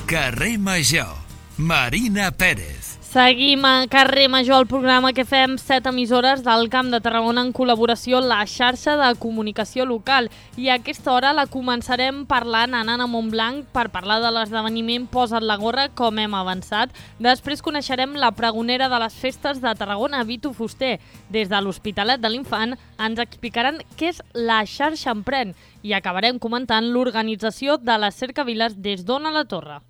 Carrer Major, Marina Pérez. Seguim a Carrer Major, el programa que fem 7 emissores del Camp de Tarragona en col·laboració amb la xarxa de comunicació local. I a aquesta hora la començarem parlant anant a Montblanc per parlar de l'esdeveniment Posa't la gorra, com hem avançat. Després coneixerem la pregonera de les festes de Tarragona, Vitu Fuster. Des de l'Hospitalet de l'Infant ens explicaran què és la xarxa Emprèn i acabarem comentant l'organització de les cercaviles des d'Ona la Torre.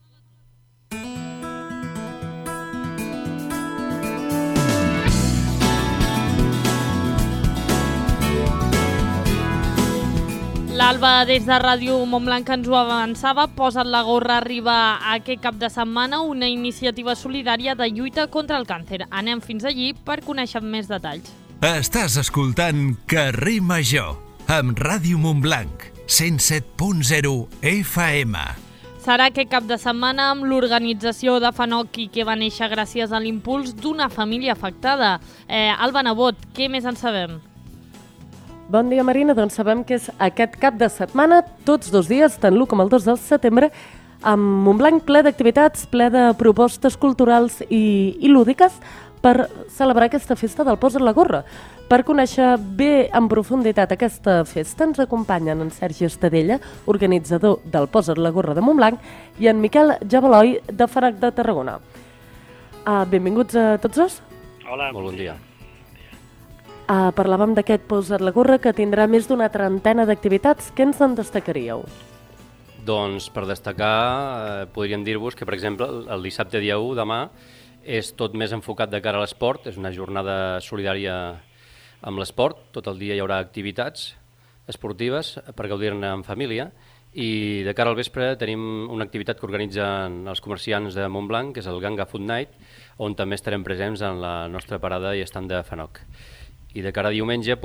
L'Alba, des de Ràdio Montblanc, ens ho avançava. Posa't la gorra arriba aquest cap de setmana, una iniciativa solidària de lluita contra el càncer. Anem fins allí per conèixer més detalls. Estàs escoltant Carrer Major, amb Ràdio Montblanc, 107.0 FM. Serà aquest cap de setmana amb l'organització de Fanoc i que va néixer gràcies a l'impuls d'una família afectada. Alba Nebot, què més en sabem? Bon dia, Marina. Doncs sabem que és aquest cap de setmana, tots 2 dies, tant l'1 com el 2 de setembre, amb Montblanc ple d'activitats, ple de propostes culturals i lúdiques per celebrar aquesta festa del Posa't la gorra. Per conèixer bé en profunditat aquesta festa ens acompanyen en Sergi Estadella, organitzador del Posa't la gorra de Montblanc, i en Miquel Jabaloi, de Fanoc de Tarragona. Benvinguts a tots dos. Hola. Molt bon dia. Parlàvem d'aquest Posa't la gorra que tindrà més d'una trentena d'activitats. Què ens en destacaríeu? Doncs per destacar podríem dir-vos que, per exemple, el dissabte dia 1, demà, és tot més enfocat de cara a l'esport. És una jornada solidària amb l'esport. Tot el dia hi haurà activitats esportives per gaudir-ne en família. I de cara al vespre tenim una activitat que organitzen els comerciants de Montblanc, que és el Ganga Food Night, on també estarem presents en la nostra parada i estand de Fanoc. I de cara a diumenge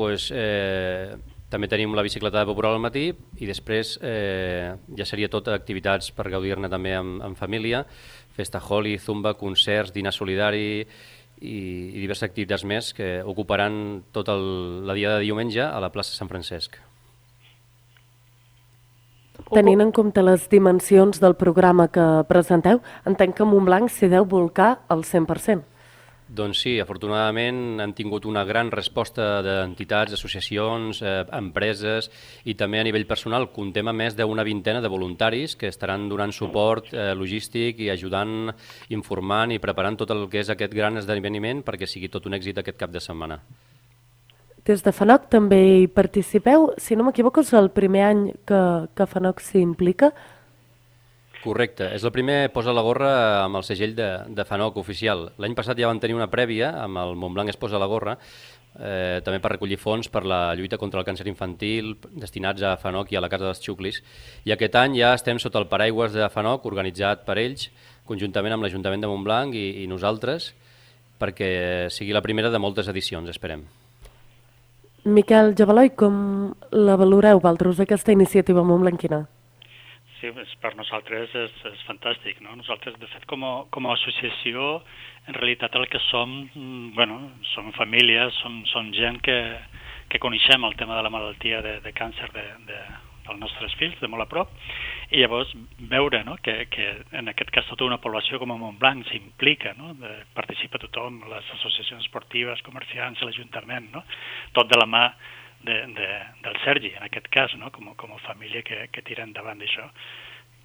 també tenim la bicicletada popular al matí i després ja seria tot activitats per gaudir-ne també en família, festa holi, zumba, concerts, dinar solidari i diverses activitats més que ocuparan tot la dia de diumenge a la plaça Sant Francesc. Tenint en compte les dimensions del programa que presenteu, entenc que Montblanc s'hi deu volcar al 100%. Doncs sí, afortunadament hem tingut una gran resposta d'entitats, associacions, empreses i també a nivell personal comptem a més d'una vintena de voluntaris que estaran donant suport logístic i ajudant, informant i preparant tot el que és aquest gran esdeveniment perquè sigui tot un èxit aquest cap de setmana. Des de Fanoc també hi participeu. Si no m'equivoco, és el primer any que Fanoc s'hi implica. Correcte, és el primer Posa la gorra amb el segell de Fanoc oficial. L'any passat ja van tenir una prèvia amb el Montblanc es posa la gorra, també per recollir fons per la lluita contra el càncer infantil destinats a Fanoc i a la Casa dels Xuclis. I aquest any ja estem sota el paraigües de Fanoc, organitzat per ells, conjuntament amb l'Ajuntament de Montblanc i nosaltres, perquè sigui la primera de moltes edicions, esperem. Miquel Jabaloi, com la valoreu, vosaltres, aquesta iniciativa montblanquina? Sí, per nosaltres és fantàstic, no? Nosaltres, de fet, com a associació, en realitat el que som, som famílies, som gent que coneixem el tema de la malaltia de càncer dels nostres fills, de molt a prop, i llavors veure que en aquest cas tota una població com a Montblanc s'implica, participa tothom, les associacions esportives, comerciants, l'Ajuntament, tot de la mà del Sergi, en aquest cas, com a família que tira endavant d'això.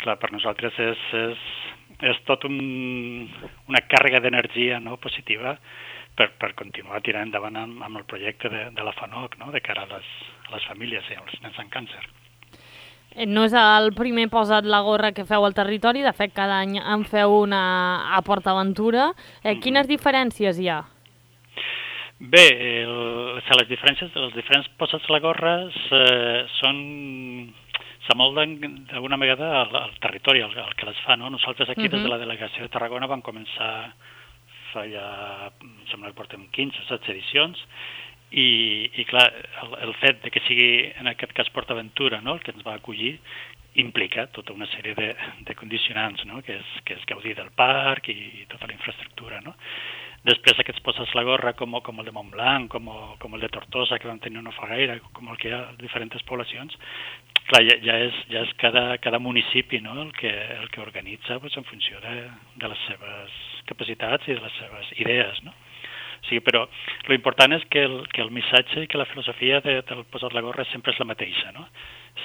Clar, per nosaltres és tot una càrrega d'energia positiva per continuar tirant endavant amb el projecte de la Fanoc, de cara a les famílies i als nens amb càncer. No és el primer Posa't la gorra que feu al territori, de fet cada any en feu una a PortAventura. Quines diferències hi ha? Bé, les diferents Posats la gorra s'amolden d'alguna vegada al territori, al que les fa. Nosaltres aquí des de la delegació de Tarragona vam començar fa ja, sembla que portem 15 o 16 edicions, i clar, el fet de que sigui en aquest cas PortAventura el que ens va acollir implica tota una sèrie de condicionants, que és gaudir del parc i tota la infraestructura. Després aquests poses la gorra com el de Montblanc, com el de Tortosa, que vam tenir no fa gaire, com el que hi ha a diferents poblacions, clar, ja és cada municipi, no?, el que organitza en funció de les seves capacitats i de les seves idees, no? O sigui, però l'important és que el missatge i que la filosofia del posar la gorra sempre és la mateixa, no?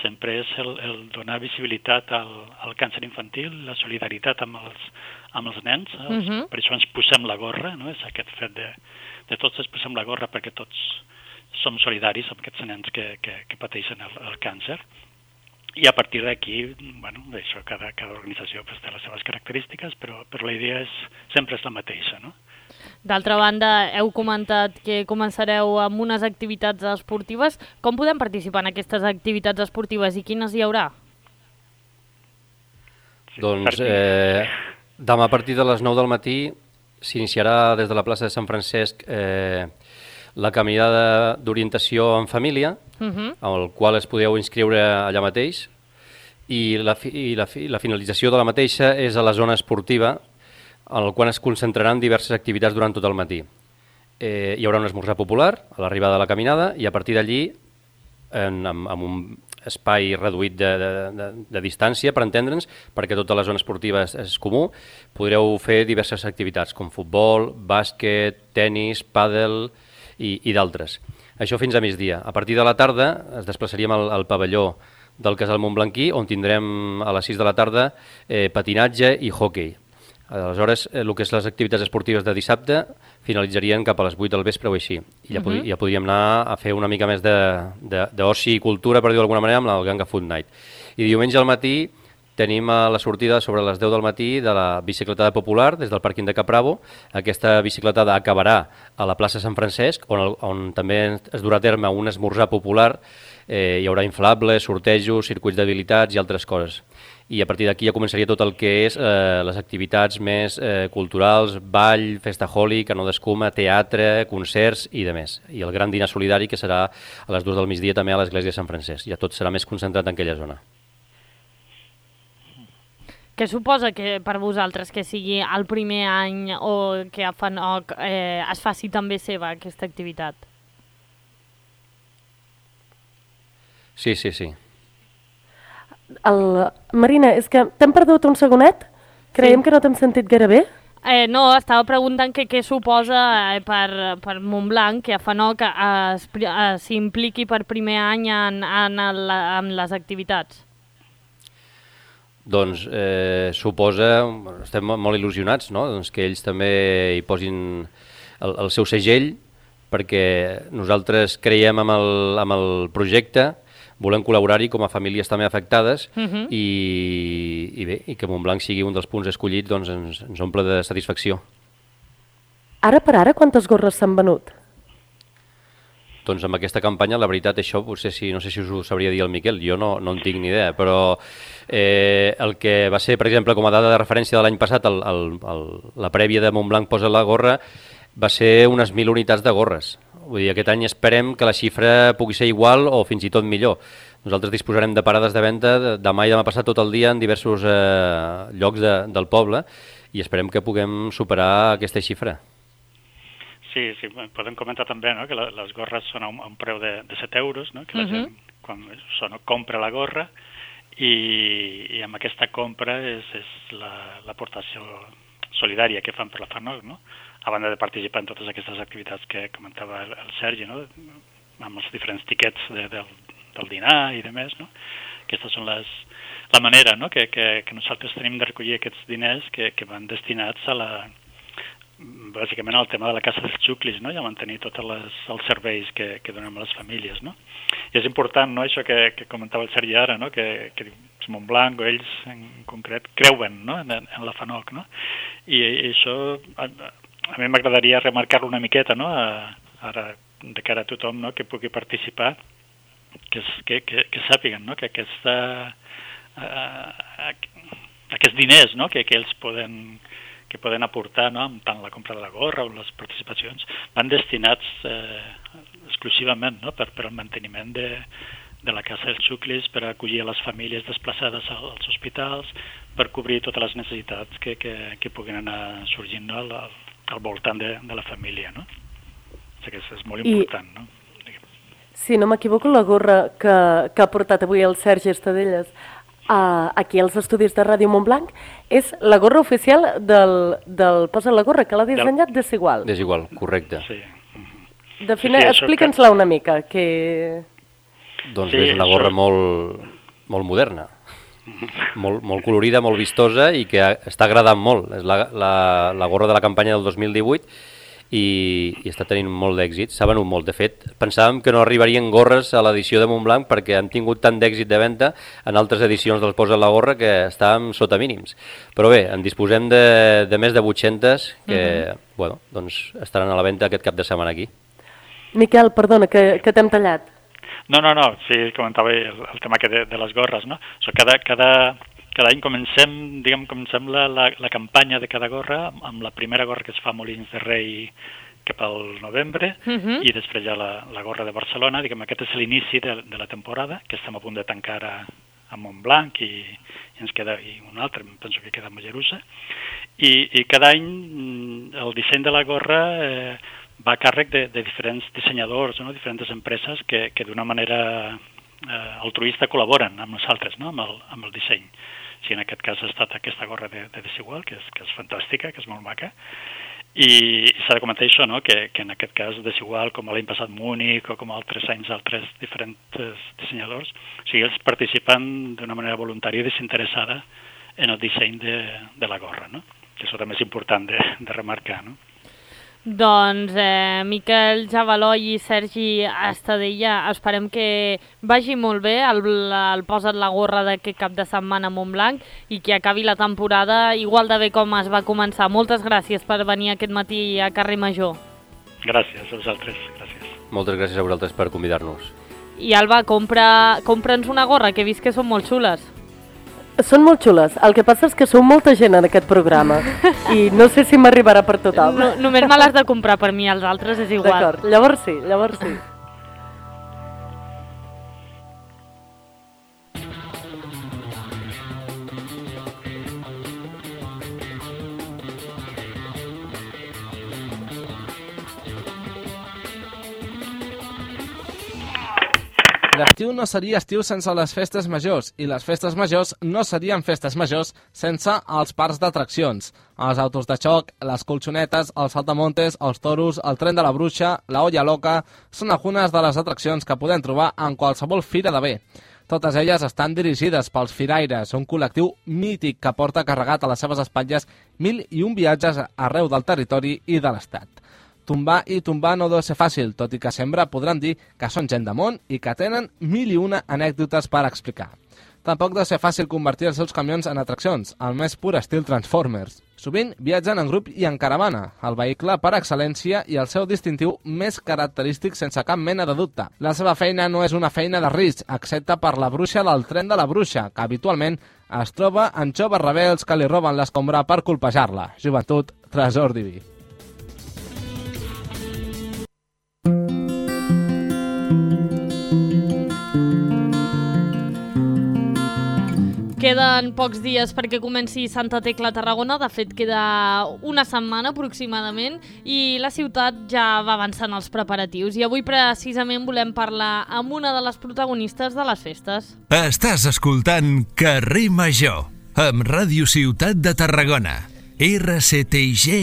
Sempre és el donar visibilitat al càncer infantil, la solidaritat amb els nens, per això ens posem la gorra, no? És aquest fet de tots ens posem la gorra perquè tots som solidaris amb aquests nens que pateixen el càncer. I a partir d'aquí, bueno, això, cada organització té les seves característiques, però la idea sempre és la mateixa, no? D'altra banda, heu comentat que començareu amb unes activitats esportives. Com podem participar en aquestes activitats esportives i quines hi haurà? Doncs demà a partir de les 9 del matí s'iniciarà des de la plaça de Sant Francesc la caminada d'orientació en família, al qual es podeu inscriure allà mateix, i la finalització de la mateixa és a la zona esportiva, en el qual es concentraran diverses activitats durant tot el matí. Hi haurà un esmorzar popular a l'arribada de la caminada i a partir d'allí, amb un espai reduït de distància, per entendre'ns, perquè tota la zona esportiva és comú, podreu fer diverses activitats com futbol, bàsquet, tenis, pàdel i d'altres. Això fins a migdia. A partir de la tarda es desplaçaríem al pavelló del Casal Montblanquí, on tindrem a les 6 de la tarda patinatge i hoquei. Aleshores, el que és les activitats esportives de dissabte finalitzarien cap a les 8 del vespre o així. I ja podríem anar a fer una mica més d'oci i cultura, per dir-ho d'alguna manera, amb el Ganga Food Night. I diumenge al matí tenim la sortida sobre les 10 del matí de la bicicletada popular des del pàrquing de Capravo. Aquesta bicicletada acabarà a la plaça Sant Francesc, on també es durà a terme un esmorzar popular. Hi haurà inflables, sortejos, circuits d'habilitats i altres coses. I a partir d'aquí ja començaria tot el que és les activitats més culturals, ball, festa holi, canó d'escuma, teatre, concerts i demés. I el gran dinar solidari que serà a les 2 del migdia també a l'església de Sant Francesc. Ja tot serà més concentrat en aquella zona. Què suposa que per vosaltres que sigui el primer any o que a FANOC es faci també seva aquesta activitat? Sí. Marina, és que t'hem perdut un segonet? Creiem que no t'hem sentit gaire bé. No, estava preguntant què suposa per Montblanc que a FANOC s'impliqui per primer any en les activitats. Doncs suposa, estem molt il·lusionats, no? Doncs que ells també hi posin el seu segell, perquè nosaltres creiem amb el projecte, volem col·laborar-hi com a famílies també afectades i que Montblanc sigui un dels punts escollits, doncs ens omple de satisfacció. Ara per ara, quantes gorres s'han venut? Doncs amb aquesta campanya, la veritat, això potser no sé si us ho sabria dir el Miquel, jo no en tinc ni idea, però el que va ser, per exemple, com a dada de referència de l'any passat, la prèvia de Montblanc posa la gorra, va ser unes 1.000 unitats de gorres. Vull dir, aquest any esperem que la xifra pugui ser igual o fins i tot millor. Nosaltres disposarem de parades de venda demà i demà passat tot el dia en diversos llocs del poble i esperem que puguem superar aquesta xifra. Sí, podem comentar també, no?, que les gorres són a un preu de 7 euros, no?, que la gent quan compra la gorra i amb aquesta compra és l'aportació solidària que fan per la FANOC, no?, a banda de participar en totes aquestes activitats que comentava el Sergi, no?, amb els diferents tiquets del dinar i demés, no? Aquestes són la manera, no?, que nosaltres tenim de recollir aquests diners que van destinats bàsicament al tema de la Casa dels Xuclis, no?, i a mantenir tots els serveis que donem a les famílies, no? I és important, no?, això que comentava el Sergi ara, no?, que Montblanc o ells en concret creuen, no?, en la FANOC, no? I això a mi m'agradaria remarcar-lo una miqueta, no?, ara de cara a tothom, no?, que pugui participar, que sàpiguen, no?, que aquests diners, no?, que ells poden aportar, no?, amb tant la compra de la gorra o les participacions, van destinats exclusivament, no?, per al manteniment de la Casa dels Xuclis, per acollir a les famílies desplaçades als hospitals, per cobrir totes les necessitats que puguin anar sorgint, no?, al voltant de la família, no? O sigui que és molt important, no? Si no m'equivoco, la gorra que ha portat avui el Sergi Estadelles aquí als estudis de Ràdio Montblanc és la gorra oficial del Posa la gorra, que l'ha dissenyat Desigual. Desigual, correcte. Sí. Explíca'ns-la una mica, que... Doncs és una gorra molt moderna, molt colorida, molt vistosa i que està agradant molt. És la gorra de la campanya del 2018 i està tenint molt d'èxit, s'ha venut molt. De fet, pensàvem que no arribarien gorres a l'edició de Montblanc perquè han tingut tant d'èxit de venda en altres edicions del Posa la gorra que estàvem sota mínims. Però bé, en disposem de més de 800 que doncs estaran a la venda aquest cap de setmana aquí. Miquel, perdona, que t'hem tallat. No, sí, comentava el tema de les gorres, no? Cada any comencem la campanya de cada gorra amb la primera gorra que es fa a Molins de Rei cap al novembre i després ja la gorra de Barcelona. Aquest és l'inici de la temporada, que estem a punt de tancar a Montblanc i ens queda un altre, penso que queda a Mollerussa. I cada any el disseny de la gorra va a càrrec de diferents dissenyadors, no? Diferents empreses que d'una manera altruista col·laboren amb nosaltres, no? amb el disseny. En aquest cas ha estat aquesta gorra de Desigual, que és fantàstica, que és molt maca. I s'ha de comentar això, no? que en aquest cas Desigual, com l'any passat Múnich o com altres anys altres diferents dissenyadors, ells participen d'una manera voluntària i desinteressada en el disseny de la gorra, no? Que això també és important de remarcar, no? Doncs Miquel Jabaló i Sergi Estadella, esperem que vagi molt bé el Posa't la gorra d'aquest cap de setmana a Montblanc i que acabi la temporada igual de bé com es va començar. Moltes gràcies per venir aquest matí a Carrer Major. Gràcies a vosaltres, gràcies. Moltes gràcies a vosaltres per convidar-nos. I Alba, compra'ns una gorra, que he vist que són molt xules. Són molt xules, el que passa és que sou molta gent en aquest programa i no sé si m'arribarà per tothom. Només me l'has de comprar per mi, els altres és igual. D'acord, llavors sí. L'estiu no seria estiu sense les festes majors i les festes majors no serien festes majors sense els parcs d'atraccions. Els autos de xoc, les colxonetes, els saltamontes, els toros, el tren de la bruixa, la olla loca, són algunes de les atraccions que podem trobar en qualsevol fira de bé. Totes elles estan dirigides pels firaires, un col·lectiu mític que porta carregat a les seves espatlles 1001 viatges arreu del territori i de l'Estat. Tombar i tombar no deu ser fàcil, tot i que sempre podran dir que són gent de món i que tenen 1001 anècdotes per explicar. Tampoc deu ser fàcil convertir els seus camions en atraccions, al més pur estil Transformers. Sovint viatgen en grup i en caravana, el vehicle per excel·lència i el seu distintiu més característic sense cap mena de dubte. La seva feina no és una feina de risc, excepte per la bruixa del tren de la bruixa, que habitualment es troba en joves rebels que li roben l'escombra per colpejar-la. Joventut, tresor diví. Queden pocs dies perquè comenci Santa Tecla a Tarragona, de fet queda una setmana aproximadament i la ciutat ja va avançant els preparatius i avui precisament volem parlar amb una de les protagonistes de les festes. Estàs escoltant Carrer Major amb Ràdio Ciutat de Tarragona, rctign.cat.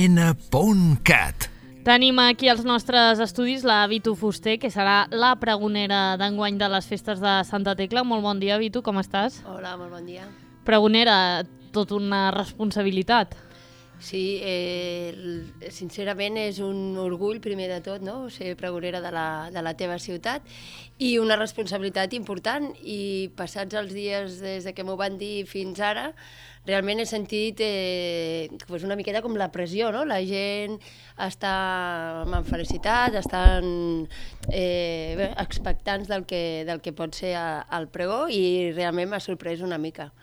Tenim aquí als nostres estudis la Vitu Fuster, que serà la pregonera d'enguany de les festes de Santa Tecla. Molt bon dia, Vitu, com estàs? Hola, molt bon dia. Pregonera, tot una responsabilitat. Sí, sincerament és un orgull, primer de tot, no? Ser pregonera de la teva ciutat i una responsabilitat important. I passats els dies des que m'ho van dir fins ara, realment he sentit una miqueta com la pressió, no? La gent està amb felicitat, estan expectants del que pot ser el pregó i realment m'ha sorprès una mica.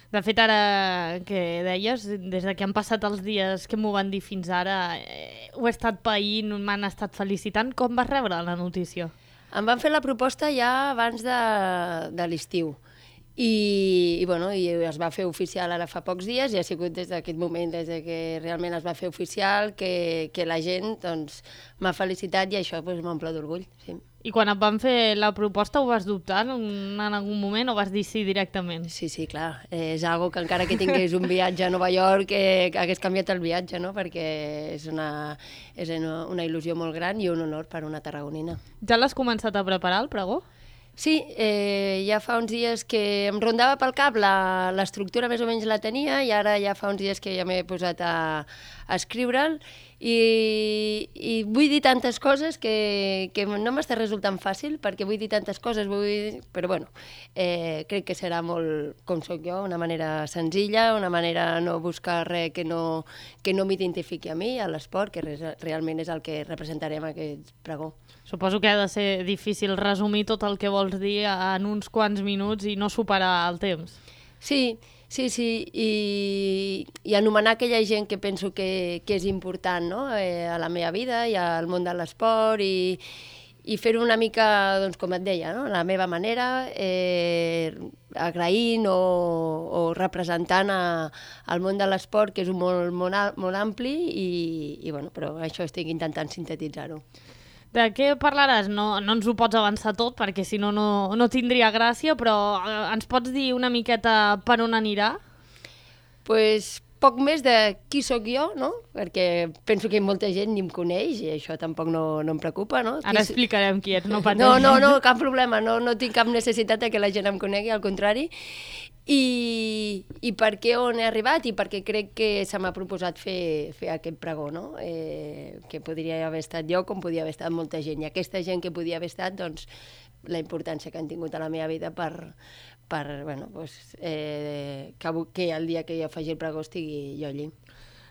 De fet, ara que deies, des que han passat els dies que m'ho van dir fins ara, ho he estat païnt, m'han estat felicitant. Com vas rebre la notícia? Em van fer la proposta ja abans de l'estiu i es va fer oficial ara fa pocs dies i ha sigut des d'aquest moment, des que realment es va fer oficial, que la gent doncs, m'ha felicitat i això doncs, m'omple d'orgull. Sí. I quan et van fer la proposta ho vas dubtar en algun moment o vas dir sí directament? Sí, clar. És algo que encara que tingués un viatge a Nova York hagués canviat el viatge, no? Perquè és una il·lusió molt gran i un honor per una tarragonina. Ja l'has començat a preparar, el pregó? Sí, ja fa uns dies que em rondava pel cap, l'estructura més o menys la tenia i ara ja fa uns dies que ja m'he posat a escriure'l i vull dir tantes coses que no m'està resultant fàcil perquè vull dir tantes coses, però bueno, crec que serà molt com sóc jo, una manera senzilla, una manera no buscar res que no m'identifiqui a mi, a l'esport, que realment és el que representarem aquest pregó. Suposo que ha de ser difícil resumir tot el que vols dir en uns quants minuts i no superar el temps. Sí, i anomenar aquella gent que penso que és important, no? A la meva vida i al món de l'esport i fer-ho una mica, doncs, com et deia, no? A la meva manera, agraint o representant el món de l'esport, que és un món molt ampli i bueno, però això estic intentant sintetitzar-ho. De què parlaràs? No ens ho pots avançar tot, perquè si no, no tindria gràcia, però ens pots dir una miqueta per on anirà? Pues poc més de qui sóc jo, no? Perquè penso que molta gent ni em coneix i això tampoc no em preocupa, no? Ara explicarem qui ets, no pateixis. No, cap problema, no tinc cap necessitat que la gent em conegui, al contrari. I per què on he arribat i perquè crec que se m'ha proposat fer aquest pregó, no? Que podria haver estat jo com podia haver estat molta gent. I aquesta gent que podia haver estat, doncs, la importància que han tingut a la meva vida que el dia que jo faci el pregó estigui jo allí.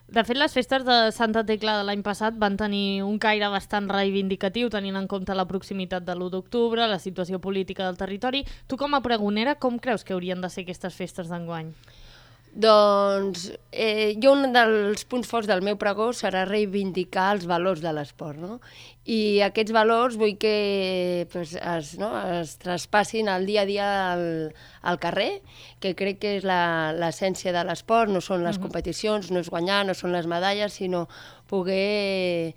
De fet, les festes de Santa Tecla de l'any passat van tenir un caire bastant reivindicatiu, tenint en compte la proximitat de l'1 d'octubre, la situació política del territori. Tu, com a pregonera, com creus que haurien de ser aquestes festes d'enguany? Doncs jo un dels punts forts del meu pregó serà reivindicar els valors de l'esport, no? I aquests valors vull que es traspassin al dia a dia al carrer, que crec que és l'essència de l'esport, no són les competicions, no és guanyar, no són les medalles, sinó poder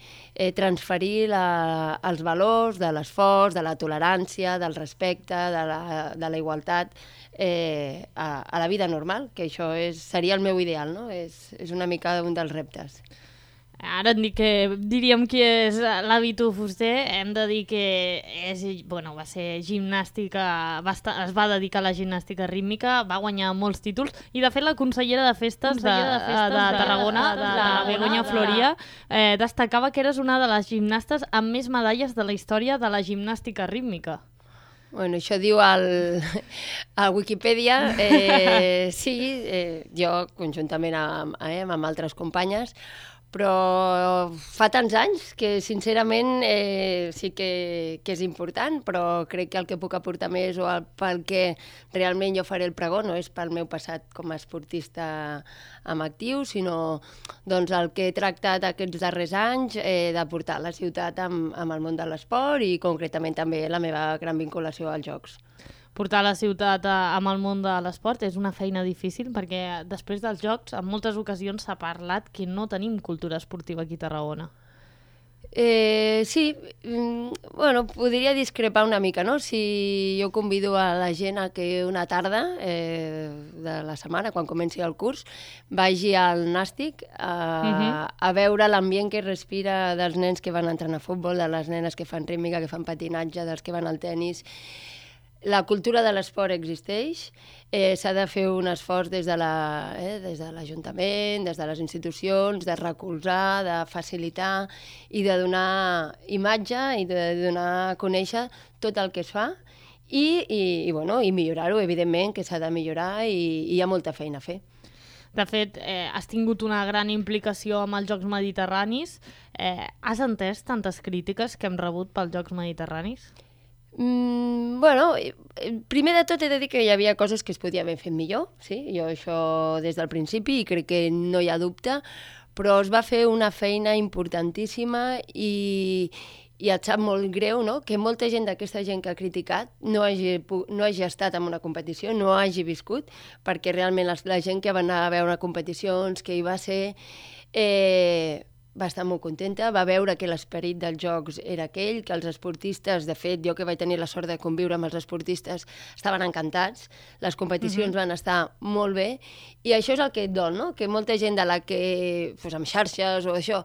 transferir els valors de l'esforç, de la tolerància, del respecte, de la igualtat a la vida normal, que això seria el meu ideal, no? És una mica un dels reptes. Ara diríem qui és l'Avitu Fuster, hem de dir que va ser gimnàstica, es va dedicar a la gimnàstica rítmica, va guanyar molts títols, i de fet la consellera de festes de Tarragona, la Begoña Floria, destacava que eres una de les gimnastes amb més medalles de la història de la gimnàstica rítmica. Bueno, això diu a Wikipedia. Sí, jo conjuntament amb altres companyes, però fa tants anys que sincerament sí que és important, però crec que el que puc aportar més o pel que realment jo faré el pregó no és pel meu passat com a esportista en actiu, sinó doncs, el que he tractat aquests darrers anys de portar la ciutat amb el món de l'esport i concretament també la meva gran vinculació als Jocs. Portar la ciutat amb el món de l'esport és una feina difícil perquè després dels Jocs en moltes ocasions s'ha parlat que no tenim cultura esportiva aquí a Tarragona. Sí, bueno, podria discrepar una mica, no? Si jo convido a la gent a que una tarda de la setmana, quan comenci el curs, vagi al Nàstic a veure l'ambient que respira dels nens que van entrenar a futbol, de les nenes que fan rítmica, que fan patinatge, dels que van al tennis. La cultura de l'esport existeix, s'ha de fer un esforç des de l'Ajuntament, des de les institucions, de recolzar, de facilitar i de donar imatge i de donar a conèixer tot el que es fa i millorar-ho, evidentment, que s'ha de millorar i hi ha molta feina a fer. De fet, has tingut una gran implicació amb els Jocs Mediterranis. Has entès tantes crítiques que hem rebut pels Jocs Mediterranis? Bueno, primer de tot he de dir que hi havia coses que es podia haver fet millor, sí? Jo això des del principi i crec que no hi ha dubte, però es va fer una feina importantíssima i i et sap molt greu, no?, que molta gent d'aquesta gent que ha criticat no hagi estat en una competició, no hagi viscut, perquè realment la gent que va anar a veure competicions, que hi va ser, va estar molt contenta, va veure que l'esperit dels jocs era aquell, que els esportistes, de fet, jo que vaig tenir la sort de conviure amb els esportistes, estaven encantats, les competicions van estar molt bé, i això és el que et dol, no?, que molta gent de la que, amb xarxes o això,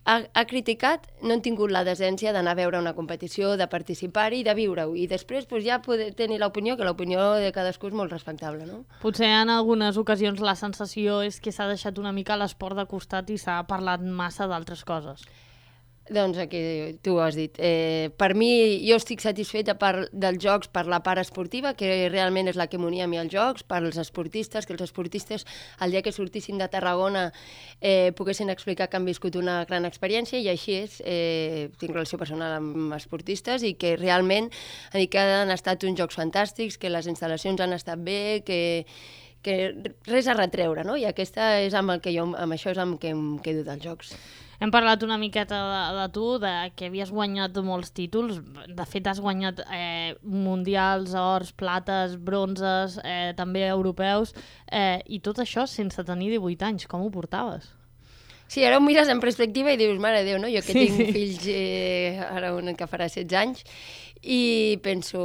ha criticat, no han tingut la decència d'anar a veure una competició, de participar-hi i de viure-ho. I després ja poder tenir l'opinió, que l'opinió de cadascú és molt respectable, no? Potser en algunes ocasions la sensació és que s'ha deixat una mica l'esport de costat i s'ha parlat massa d'altres coses. Doncs aquí tu ho has dit. Per mi, jo estic satisfeta dels jocs per la part esportiva, que realment és la que m'unia a mi als jocs, per als esportistes, que els esportistes, el dia que sortissin de Tarragona, poguessin explicar que han viscut una gran experiència, i així és. Tinc relació personal amb esportistes i que realment han estat uns jocs fantàstics, que les instal·lacions han estat bé, que res a retreure, no? I aquesta és amb això és amb què em quedo dels jocs. Hem parlat una miqueta de tu, que havies guanyat molts títols. De fet, has guanyat mundials, ors, plates, bronzes, també europeus, i tot això sense tenir 18 anys. Com ho portaves? Sí, ara ho mires en perspectiva i dius, mare de Déu, no? Jo que tinc fills, ara un que farà 16 anys, i penso...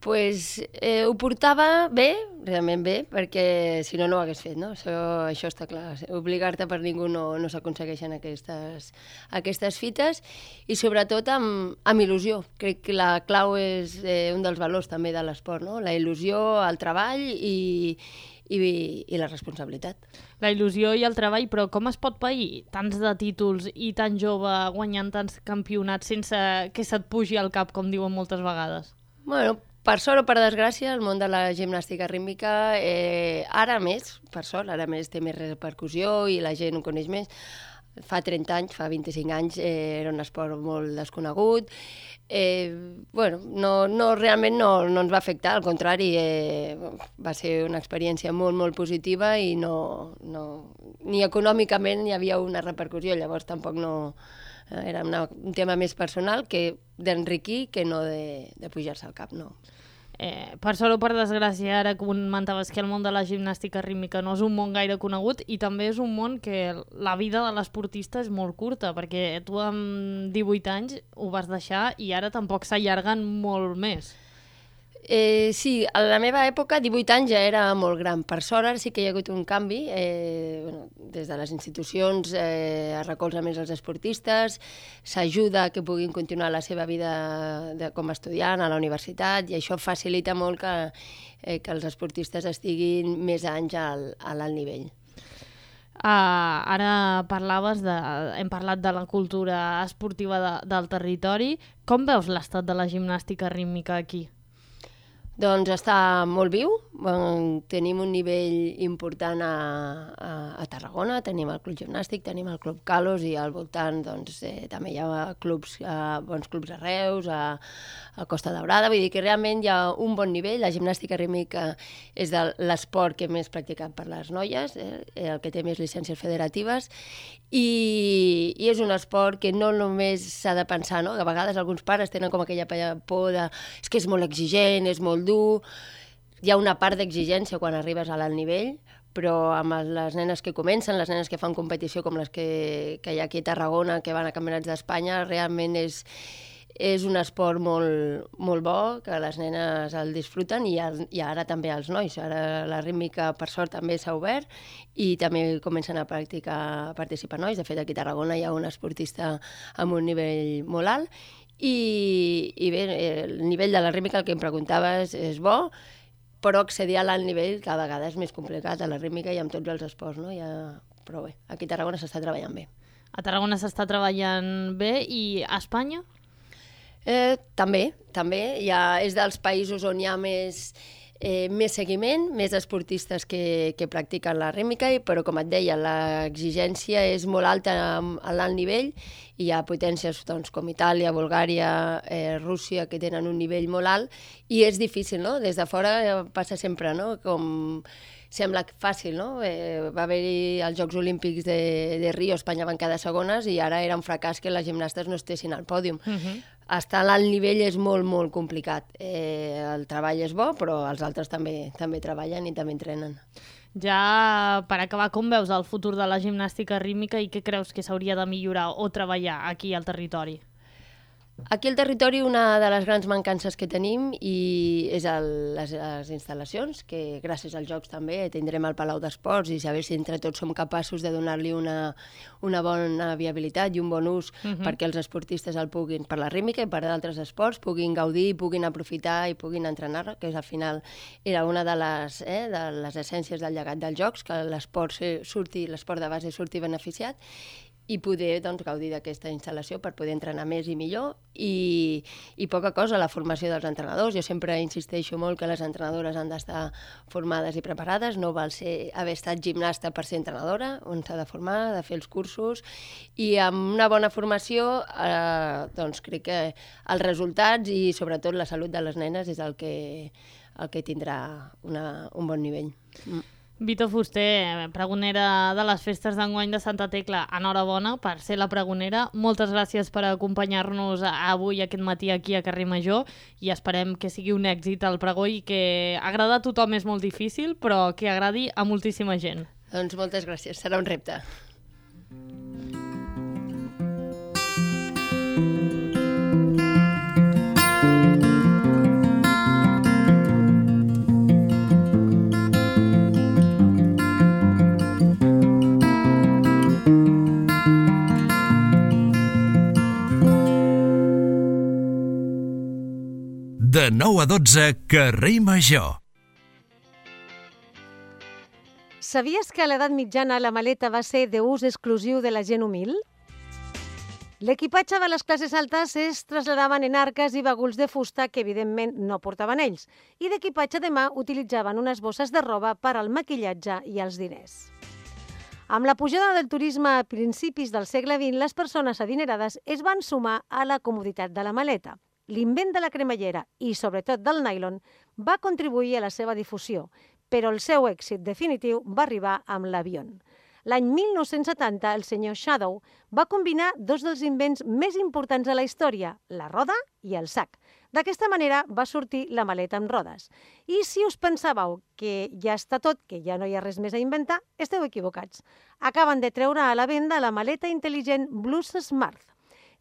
ho portava bé, realment bé, perquè si no, no ho hagués fet, no? Això està clar. Obligar-te per ningú no s'aconsegueixen aquestes fites, i sobretot amb il·lusió. Crec que la clau és un dels valors també de l'esport, no? La il·lusió, el treball i la responsabilitat. La il·lusió i el treball, però com es pot pair tants de títols i tan jove guanyant tants campionats sense que se't pugi al cap, com diuen moltes vegades? Bueno, per sort o per desgràcia, el món de la gimnàstica rítmica, ara més, per sort, ara més té més repercussió i la gent ho coneix més. Fa 30 anys, fa 25 anys, era un esport molt desconegut. Realment no ens va afectar, al contrari, va ser una experiència molt, molt positiva i ni econòmicament hi havia una repercussió, llavors tampoc no... Era un tema més personal d'enriquir que no de pujar-se al cap, no. Per sort o per desgràcia, ara comentaves que el món de la gimnàstica rítmica no és un món gaire conegut, i també és un món que la vida de l'esportista és molt curta, perquè tu amb 18 anys ho vas deixar i ara tampoc s'allarguen molt més. Sí, a la meva època 18 anys ja era molt gran. Per sort ara sí que hi ha hagut un canvi. Des de les institucions es recolza més els esportistes, s'ajuda que puguin continuar la seva vida com a estudiant a la universitat, i això facilita molt que els esportistes estiguin més anys a l'alt nivell. Ara hem parlat de la cultura esportiva del territori. Com veus l'estat de la gimnàstica rítmica aquí? Doncs està molt viu, tenim un nivell important a Tarragona, tenim el Club Gimnàstic, tenim el Club Calos, i al voltant també hi ha bons clubs a Reus, a Costa Daurada, vull dir que realment hi ha un bon nivell. La gimnàstica rítmica és l'esport que més practicat per les noies, el que té més llicències federatives, i és un esport que no només s'ha de pensar, no? A vegades alguns pares tenen com aquella por és que és molt exigent, és molt dur. Hi ha una part d'exigència quan arribes a l'alt nivell, però amb les nenes que comencen, les nenes que fan competició com les que hi ha aquí a Tarragona, que van a campionats d'Espanya, realment és un esport molt, molt bo, que les nenes el disfruten, i ara també els nois. Ara la rítmica, per sort, també s'ha obert i també comencen a participar nois. De fet, aquí a Tarragona hi ha un esportista amb un nivell molt alt, i bé, el nivell de la rítmica, el que em preguntaves, és bo, però accedir a l'alt nivell cada vegada és més complicat, a la rítmica i amb tots els esports, no? Però bé, aquí a Tarragona s'està treballant bé. A Tarragona s'està treballant bé, i a Espanya? També. És dels països on hi ha més seguiment, més esportistes que practiquen la rítmica, però com et deia, l'exigència és molt alta a l'alt nivell, i hi ha potències com Itàlia, Bulgària, Rússia, que tenen un nivell molt alt, i és difícil, no? Des de fora passa sempre, no? Com sembla fàcil, no? Va haver-hi els Jocs Olímpics de Rio, Espanya van quedar segones i ara era un fracàs que les gimnastes no estessin al pòdium. Estar a l'alt nivell és molt, molt complicat. El treball és bo, però els altres també treballen i també entrenen. Ja, per acabar, com veus el futur de la gimnàstica rítmica i què creus que s'hauria de millorar o treballar aquí al territori? Aquí al territori una de les grans mancances que tenim és les instal·lacions, que gràcies als Jocs també tindrem el Palau d'Esports i saber si entre tots som capaços de donar-li una bona viabilitat i un bon ús perquè els esportistes el puguin, per la rítmica i per altres esports, puguin gaudir, puguin aprofitar i puguin entrenar, que al final era una de les essències del llegat dels Jocs, que l'esport de base surti beneficiat, i poder gaudir d'aquesta instal·lació per poder entrenar més i millor i poca cosa, la formació dels entrenadors. Jo sempre insisteixo molt que les entrenadores han d'estar formades i preparades, no val haver estat gimnasta per ser entrenadora, on s'ha de formar, de fer els cursos, i amb una bona formació crec que els resultats i sobretot la salut de les nenes és el que tindrà un bon nivell. Vito Fuster, pregonera de les festes d'enguany de Santa Tecla, enhorabona per ser la pregonera. Moltes gràcies per acompanyar-nos avui, aquest matí, aquí a Carrer Major, i esperem que sigui un èxit el pregó i que agradar a tothom és molt difícil, però que agradi a moltíssima gent. Doncs moltes gràcies, serà un repte. De 9 a 12, Carrer Major. Sabies que a l'edat mitjana la maleta va ser d'ús exclusiu de la gent humil? L'equipatge de les classes altes es traslladaven en arques i baguls de fusta que evidentment no portaven ells, i d'equipatge de mà utilitzaven unes bosses de roba per al maquillatge i els diners. Amb la pujada del turisme a principis del segle XX, les persones adinerades es van sumar a la comoditat de la maleta. L'invent de la cremallera i, sobretot, del nylon va contribuir a la seva difusió, però el seu èxit definitiu va arribar amb l'avió. L'any 1970, el senyor Shadow va combinar dos dels invents més importants de la història, la roda i el sac. D'aquesta manera va sortir la maleta amb rodes. I si us pensàveu que ja està tot, que ja no hi ha res més a inventar, esteu equivocats. Acaben de treure a la venda la maleta intel·ligent Blues Smart,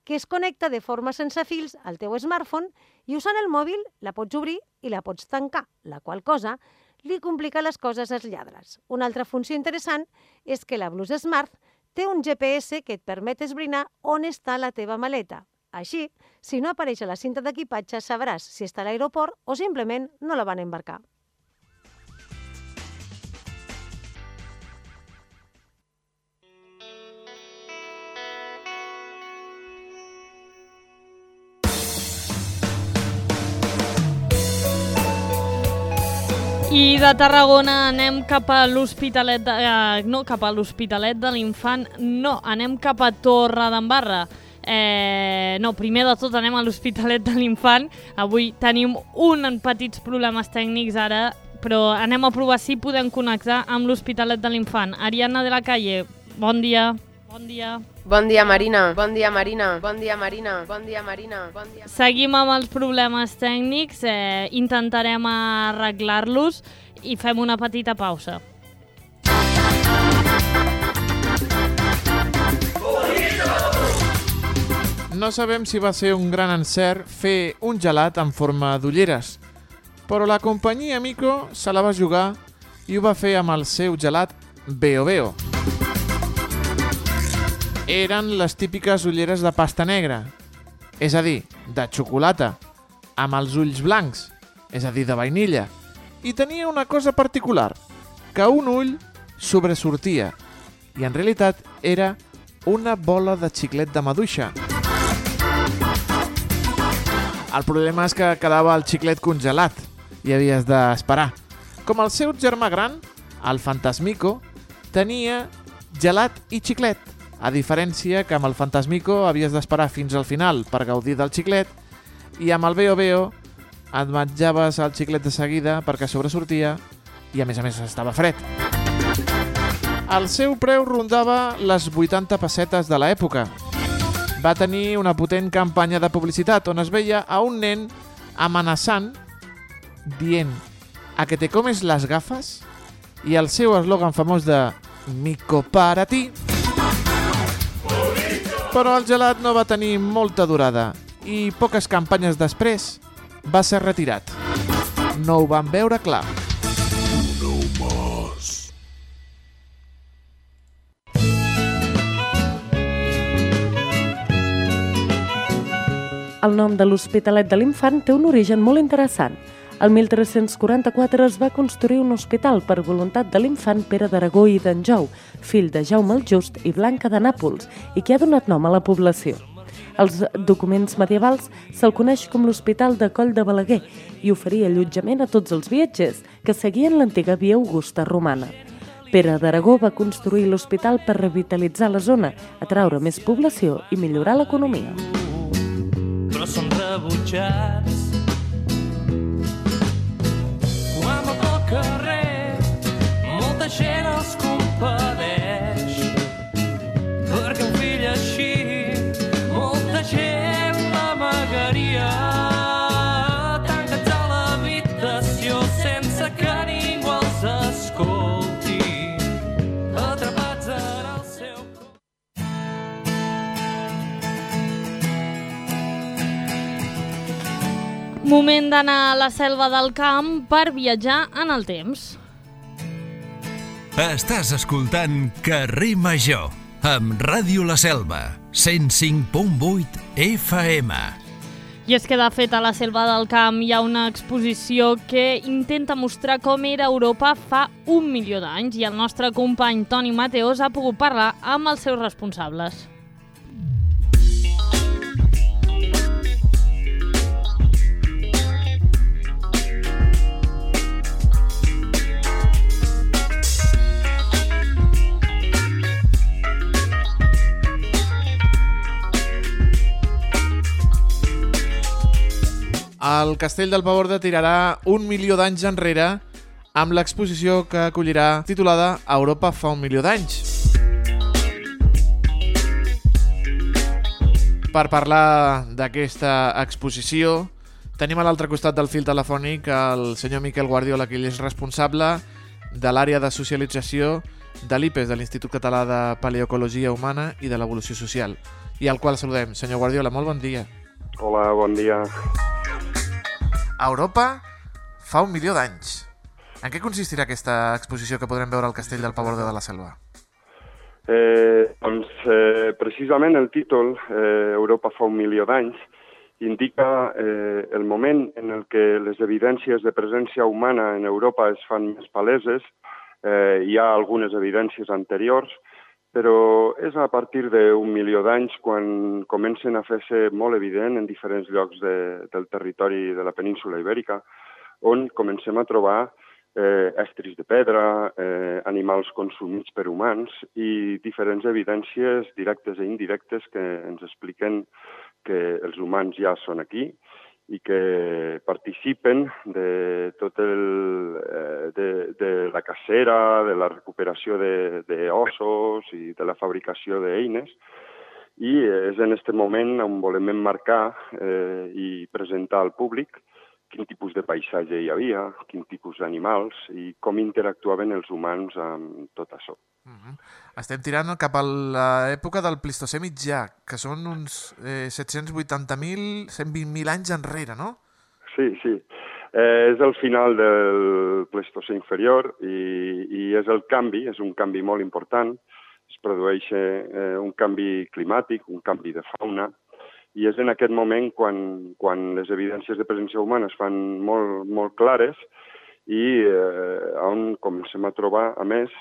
que es connecta de forma sense fils al teu smartphone i usant el mòbil la pots obrir i la pots tancar, la qual cosa li complica les coses als lladres. Una altra funció interessant és que la Blues Smart té un GPS que et permet esbrinar on està la teva maleta. Així, si no apareix a la cinta d'equipatge, sabràs si està a l'aeroport o simplement no la van embarcar. I de Tarragona anem cap a l'Hospitalet de l'Infant, no, anem cap a Torredembarra. No, primer de tot anem a l'Hospitalet de l'Infant. Avui tenim uns petits problemes tècnics ara, però anem a provar si podem connectar amb l'Hospitalet de l'Infant. Ariadna de la Calle, bon dia. Bon dia. Bon dia, Marina. Bon dia, Marina. Bon dia, Marina. Bon dia, Marina. Bon dia. Seguim amb els problemes tècnics, intentarem arreglar-los i fem una petita pausa. No sabem si va ser un gran encert fer un gelat en forma d'ulleres, però la companyia Mico se la va jugar i ho va fer amb el seu gelat Veo Veo. Eren les típiques ulleres de pasta negra, és a dir, de xocolata, amb els ulls blancs, és a dir, de vainilla, i tenia una cosa particular, que un ull sobresortia, i en realitat era una bola de xiclet de maduixa. El problema és que quedava el xiclet congelat i havies d'esperar. Com el seu germà gran, el Fantasmico, tenia gelat i xiclet, a diferència que amb el Fantasmico havies d'esperar fins al final per gaudir del xiclet i amb el Veo Veo et menjaves el xiclet de seguida perquè sobresortia i a més estava fred. El seu preu rondava les 80 pessetes de l'època. Va tenir una potent campanya de publicitat on es veia a un nen amenaçant, dient «A que te comes las gafas?» i el seu eslògan famós de «Mico para ti». Però el gelat no va tenir molta durada i poques campanyes després va ser retirat. No ho van veure clar. El nom de l'Hospitalet de l'Infant té un origen molt interessant. El 1344 es va construir un hospital per voluntat de l'infant Pere d'Aragó i d'Anjou, fill de Jaume el Just i Blanca de Nàpols, i que ha donat nom a la població. Als documents medievals se'l coneix com l'Hospital de Coll de Balaguer i oferia allotjament a tots els viatgers que seguien l'antiga via Augusta romana. Pere d'Aragó va construir l'hospital per revitalitzar la zona, atraure més població i millorar l'economia. Però són rebutjats. Quan va pel carrer, molta gent els compadeix, perquè un fill així, molta gent l'amagaria. Tancats a l'habitació sense que ningú els escolti, atrapats en el seu... Moment d'anar a la selva del camp per viatjar en el temps. Estàs escoltant Carrer Major, amb Ràdio La Selva, 105.8 FM. I és que, de fet, a la selva del camp hi ha una exposició que intenta mostrar com era Europa fa 1 milió d'anys i el nostre company Toni Mateos ha pogut parlar amb els seus responsables. El Castell del Paborde tirarà 1 milió d'anys enrere amb l'exposició que acollirà titulada Europa fa 1 milió d'anys. Per parlar d'aquesta exposició tenim a l'altre costat del fil telefònic el senyor Miquel Guardiola, que ell és responsable de l'àrea de socialització de l'IPES, de l'Institut Català de Paleoecologia Humana i de l'Evolució Social, i al qual saludem. Senyor Guardiola, molt bon dia. Hola, bon dia. Europa fa 1 milió d'anys. En què consistirà aquesta exposició que podrem veure al Castell del Paborde de la Selva? Precisament el títol, Europa fa 1 milió d'anys, indica el moment en el que les evidències de presència humana en Europa es fan més paleses. Hi ha algunes evidències anteriors, però és a partir d'1 milió d'anys quan comencen a fer-se molt evident en diferents llocs del territori de la península ibèrica, on comencem a trobar estris de pedra, animals consumits per humans i diferents evidències directes i indirectes que ens expliquen que els humans ja són aquí i que participen de tot de la cacera, de la recuperació d'ossos i de la fabricació d'eines. I és en aquest moment on volem emmarcar i presentar al públic quin tipus de paisatge hi havia, quin tipus d'animals i com interactuaven els humans amb tot això. Estem tirant cap a l'època del Plistocè mitjà, que són uns 780.000, 120.000 anys enrere, no? Sí. És el final del Plistocè inferior i és el canvi, és un canvi molt important. Es produeix un canvi climàtic, un canvi de fauna, i és en aquest moment quan les evidències de presència humana es fan molt clares i on comencem a trobar, a més,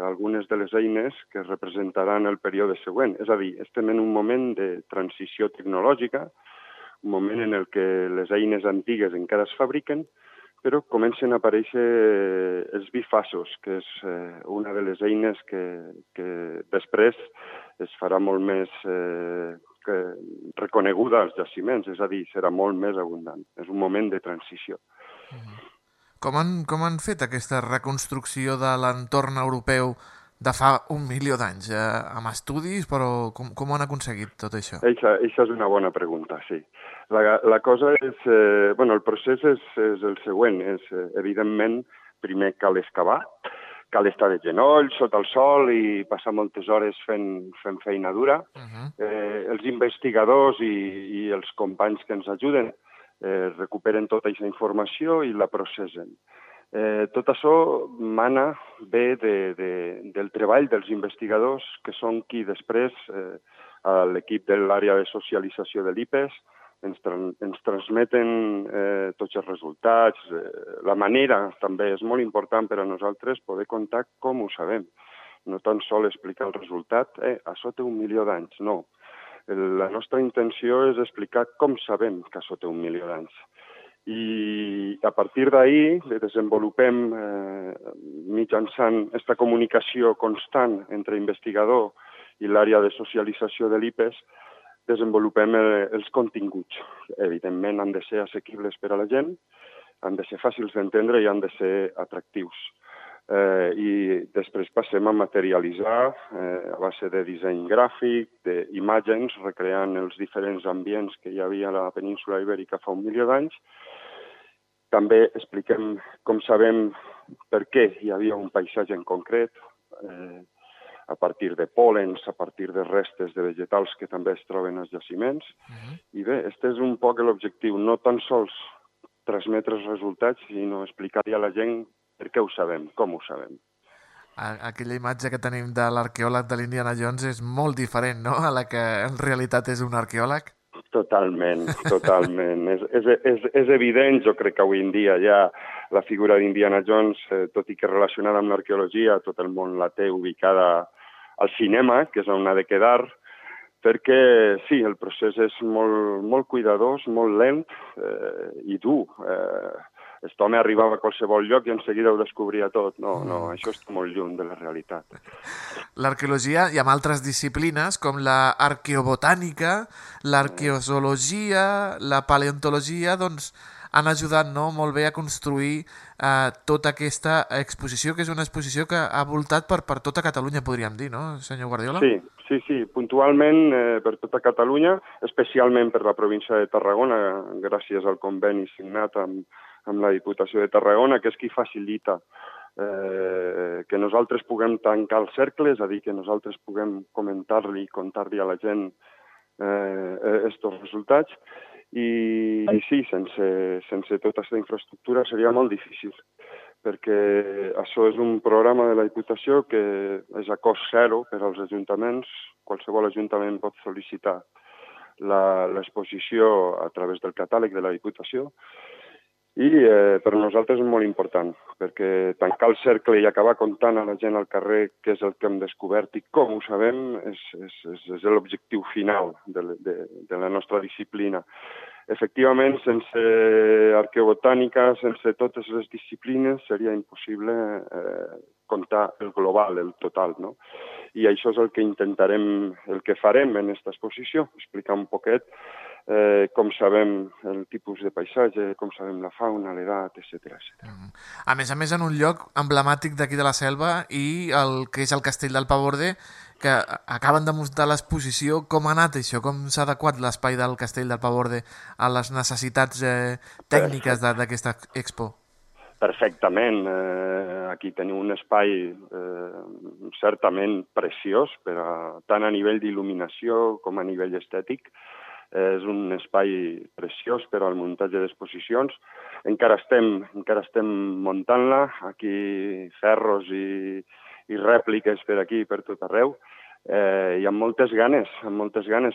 algunes de les eines que representaran el període següent. És a dir, estem en un moment de transició tecnològica, un moment en el que les eines antigues encara es fabriquen, però comencen a aparèixer els bifaços, que és una de les eines que després es farà molt més reconeguda als jaciments, és a dir, serà molt més abundant. És un moment de transició. Com han fet aquesta reconstrucció de l'entorn europeu de fa 1.000.000 d'anys? Amb estudis, però com ho han aconseguit tot això? Eixa és una bona pregunta, sí. La cosa és... el procés és el següent. Evidentment, primer cal excavar, cal estar de genoll, sota el sol i passar moltes hores fent feina dura. Els investigadors i els companys que ens ajuden recuperen tota aquesta informació i la processen. Tot això mana bé del treball dels investigadors, que són qui després, a l'equip de l'àrea de socialització de l'IPES, ens transmeten tots els resultats. La manera també és molt important per a nosaltres poder contar com ho sabem. No tan sol explicar el resultat, això té 1.000.000 d'anys, no. La nostra intenció és explicar com sabem que això té 1.000.000 d'anys. I a partir d'ahir desenvolupem mitjançant aquesta comunicació constant entre investigador i l'àrea de socialització de l'IPES, desenvolupem els continguts. Evidentment han de ser assequibles per a la gent, han de ser fàcils d'entendre i han de ser atractius. I després passem a materialitzar a base de disseny gràfic, d'imatges, recreant els diferents ambients que hi havia a la península Ibèrica fa 1.000.000 d'anys. També expliquem com sabem per què hi havia un paisatge en concret, a partir de pòlens, a partir de restes de vegetals que també es troben als jaciments. I bé, aquest és un poc l'objectiu, no tan sols transmetre els resultats, sinó explicar-li a la gent per què ho sabem, com ho sabem. Aquella imatge que tenim de l'arqueòleg de l'Indiana Jones és molt diferent, no?, a la que en realitat és un arqueòleg. Totalment. És evident, jo crec que avui en dia ja la figura d'Indiana Jones, tot i que relacionada amb l'arqueologia, tot el món la té ubicada al cinema, que és on ha de quedar, perquè sí, el procés és molt cuidadós, molt lent i dur. Aquest home arribava a qualsevol lloc i en seguida ho descobria tot. No, això està molt lluny de la realitat. L'arqueologia i amb altres disciplines com l'arqueobotànica, l'arqueozoologia, la paleontologia, doncs han ajudat molt bé a construir tota aquesta exposició, que és una exposició que ha voltat per tota Catalunya, podríem dir, no, senyor Guardiola? Sí, puntualment per tota Catalunya, especialment per la província de Tarragona, gràcies al conveni signat amb la Diputació de Tarragona, que és qui facilita que nosaltres puguem tancar el cercle, és a dir, que nosaltres puguem comentar-li i contar-li a la gent aquests resultats. I sí, sense tota aquesta infraestructura seria molt difícil, perquè això és un programa de la Diputació que és a cost zero per als ajuntaments. Qualsevol ajuntament pot sol·licitar l'exposició a través del catàleg de la Diputació. I per nosaltres és molt important, perquè tancar el cercle i acabar contant a la gent al carrer què és el que hem descobert i com ho sabem és l'objectiu final de la nostra disciplina. Efectivament, sense arqueobotànica, sense totes les disciplines, seria impossible contar el global, el total, no? I això és el que intentarem, el que farem en aquesta exposició, explicar un poquet com sabem el tipus de paisatge, com sabem la fauna, l'edat, etc. A més, en un lloc emblemàtic d'aquí de la Selva i el que és el Castell del Paborde, que acaben de mostrar l'exposició. Com ha anat això? Com s'ha adequat l'espai del Castell del Paborde a les necessitats tècniques d'aquesta expo? Perfectament. Aquí teniu un espai certament preciós, tant a nivell d'il·luminació com a nivell estètic. És un espai preciós per al muntatge d'exposicions. Encara estem muntant-la, aquí ferros i rèpliques per aquí, per tot arreu, i amb moltes ganes,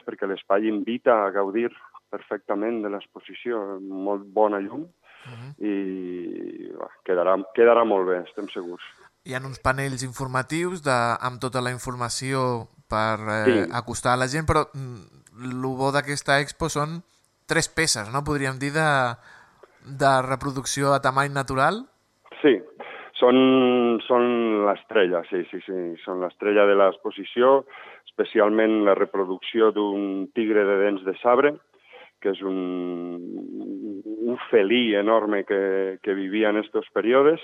perquè l'espai invita a gaudir perfectament de l'exposició, molt bona llum, i quedarà molt bé, estem segurs. Hi ha uns panells informatius amb tota la informació per acostar a la gent, però el bo d'aquesta expo són 3 peces, no? Podríem dir, de reproducció a tamany natural? Sí, són l'estrella, sí. Són l'estrella de l'exposició, especialment la reproducció d'un tigre de dents de sabre, que és un un felí enorme que vivia en aquests períodes.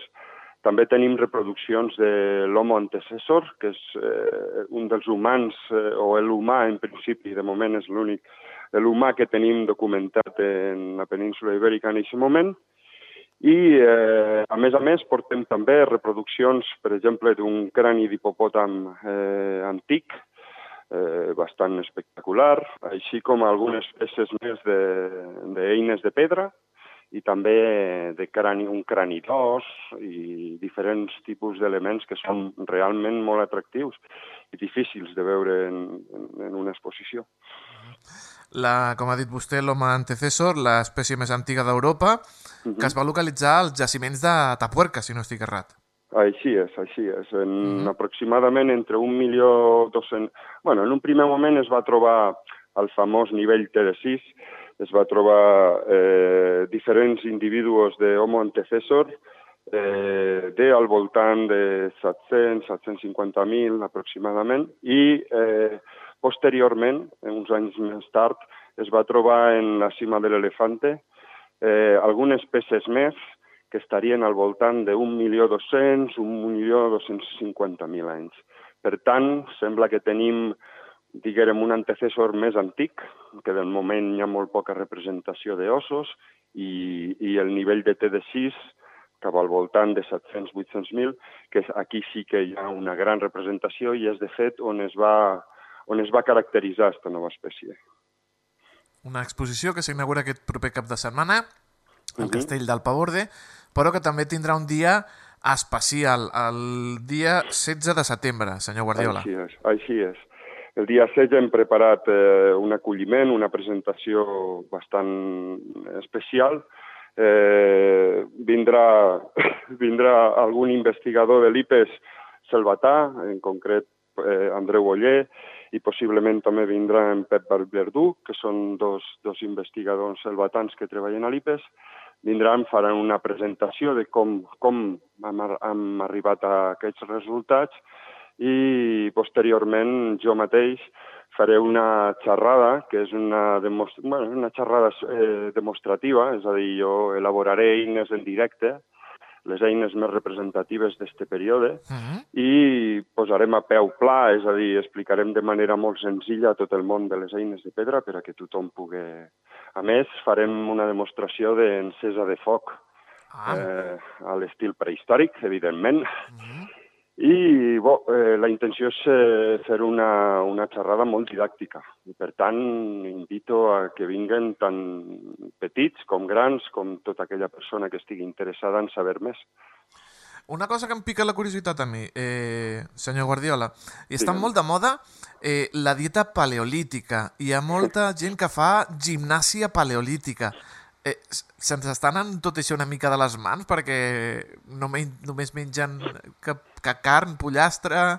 També tenim reproduccions de l'Homo antecessor, que és un dels humans, o l'humà en principi, de moment és l'únic, l'humà que tenim documentat en la península Ibèrica en aquest moment. I, a més, portem també reproduccions, per exemple, d'un crani d'hipopòtam antic, bastant espectacular, així com algunes peces més d'eines de pedra i també un crani d'os i diferents tipus d'elements que són realment molt atractius i difícils de veure en una exposició. Com ha dit vostè, l'Homo antecessor, l'espècie més antiga d'Europa, que es va localitzar als jaciments de Tapuerca, si no estic errat. Així és. Aproximadament entre 1.200.000... Bueno, en un primer moment es va trobar el famós nivell T6, es va trobar diferents individus d'Homo antecessor al voltant de 750.000 aproximadament, i posteriorment, uns anys més tard, es va trobar en la cima de l'Elefante algunes peces més que estarien al voltant de 1.200.000, 1.250.000 anys. Per tant, sembla que tenim, diguem, un antecessor més antic, que del moment hi ha molt poca representació d'ossos, i el nivell de T6 cap al voltant de 700.000, 800.000, que aquí sí que hi ha una gran representació i és, de fet, on es va caracteritzar aquesta nova espècie. Una exposició que s'inaugura aquest proper cap de setmana al Castell del Paborde, però que també tindrà un dia especial, el dia 16 de setembre, senyor Guardiola. Així és. El dia 16 hem preparat un acolliment, una presentació bastant especial. Vindrà algun investigador de l'IPES selvatà, en concret Andreu Oller, i possiblement també vindrà en Pep Verdú, que són dos investigadors selvatans que treballen a l'IPES. Vindran, faran una presentació de com hem arribat a aquests resultats, i posteriorment jo mateix faré una xerrada, que és una xerrada demostrativa, és a dir, jo elaboraré eines en directe, les eines més representatives d'aquest període, i posarem a peu pla, és a dir, explicarem de manera molt senzilla tot el món de les eines de pedra per a que tothom pugui... A més, farem una demostració d'encesa de foc a l'estil prehistòric, evidentment, i la intenció és fer una xerrada molt didàctica. I, per tant, invito a que vinguen tant petits com grans, com tota aquella persona que estigui interessada en saber més. Una cosa que em pica la curiositat a mi, senyor Guardiola, i està molt de moda la dieta paleolítica. Hi ha molta gent que fa gimnàsia paleolítica. Se'ns està anant tot això una mica de les mans perquè només mengen que carn, pollastre...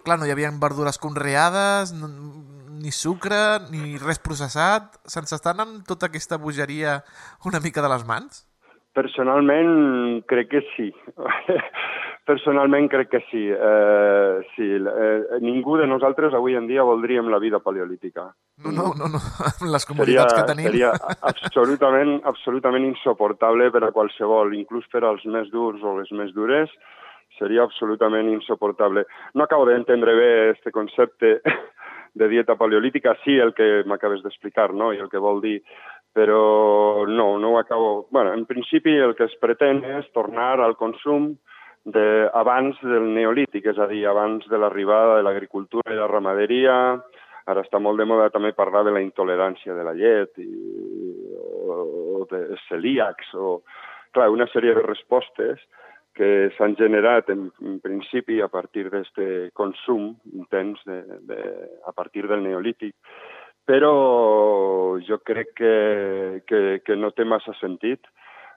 Clar, no hi havia verdures conreades, ni sucre, ni res processat. Se'ns està anant tota aquesta bogeria una mica de les mans? Personalment, crec que sí. Ningú de nosaltres avui en dia voldríem la vida paleolítica. No. Les comoditats que tenim. Seria absolutament insuportable per a qualsevol, inclús per als més durs o les més dures. Seria absolutament insuportable. No acabo d'entendre bé aquest concepte de dieta paleolítica, sí el que m'acabes d'explicar, no? I el que vol dir, però no ho acabo... Bueno, en principi el que es pretén és tornar al consum abans del neolític, és a dir, abans de l'arribada de l'agricultura i la ramaderia. Ara està molt de moda també parlar de la intolerància de la llet o de celíacs, o... Clar, una sèrie de respostes que s'han generat en principi a partir d'aquest consum intens a partir del neolític, però jo crec que no té massa sentit.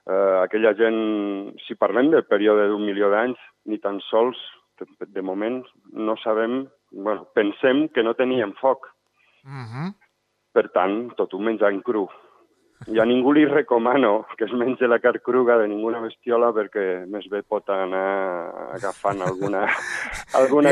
Aquella gent, si parlem del període d'1 milió d'anys, ni tan sols, de moment, no sabem, pensem que no tenien foc. Per tant, tot ho menjant cru. a ningú li recomano que es mengi la carn cruga de ninguna bestiola perquè més bé pot anar agafant alguna